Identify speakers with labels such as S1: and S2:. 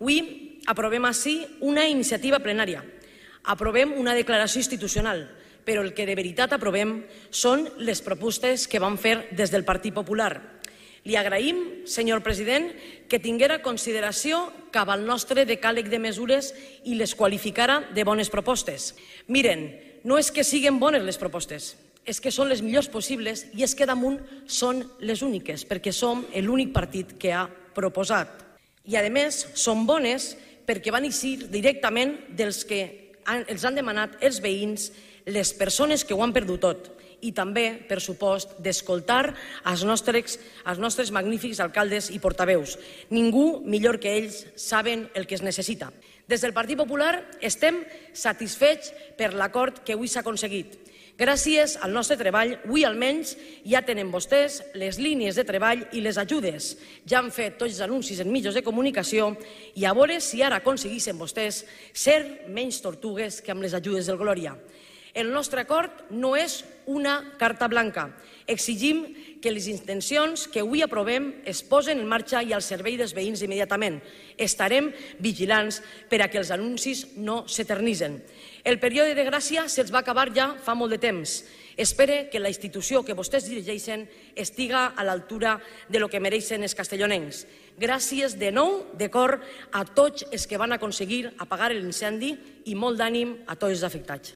S1: Avui aprovem ací una iniciativa plenària, aprovem una declaració institucional, però el que de veritat aprovem són les propostes que vam fer des del Partit Popular. Li agraïm, senyor president, que tinguera consideració cap al nostre decàleg de mesures i les qualificara de bones propostes. Miren, no és que siguin bones les propostes, és que són les millors possibles i és que damunt són les úniques, perquè som l'únic partit que ha proposat. I, a més, són bones perquè van eixir directament dels que els han demanat els veïns, les persones que ho han perdut tot, i també, per supost, d'escoltar els nostres magnífics alcaldes i portaveus. Ningú millor que ells saben el que es necessita. Des del Partit Popular estem satisfets per l'acord que avui s'ha aconseguit. Gràcies al nostre treball, avui almenys ja tenen vostès les línies de treball i les ajudes. Ja han fet tots els anuncis en mitjans de comunicació i a veure si ara aconseguissin vostès ser menys tortugues que amb les ajudes del Glòria. El nostre acord no és una carta blanca. Exigim que les intencions que avui aprovem es posen en marxa i al servei dels veïns immediatament. Estarem vigilants per a que els anuncis no s'eternitzen. El període de gràcia se'ls va acabar ja fa molt de temps. Espere que la institució que vostès dirigeixen estiga a l'altura de lo que mereixen els castellonencs. Gràcies de nou, de cor, a tots els que van aconseguir apagar l'incendi i molt d'ànim a tots els afectats.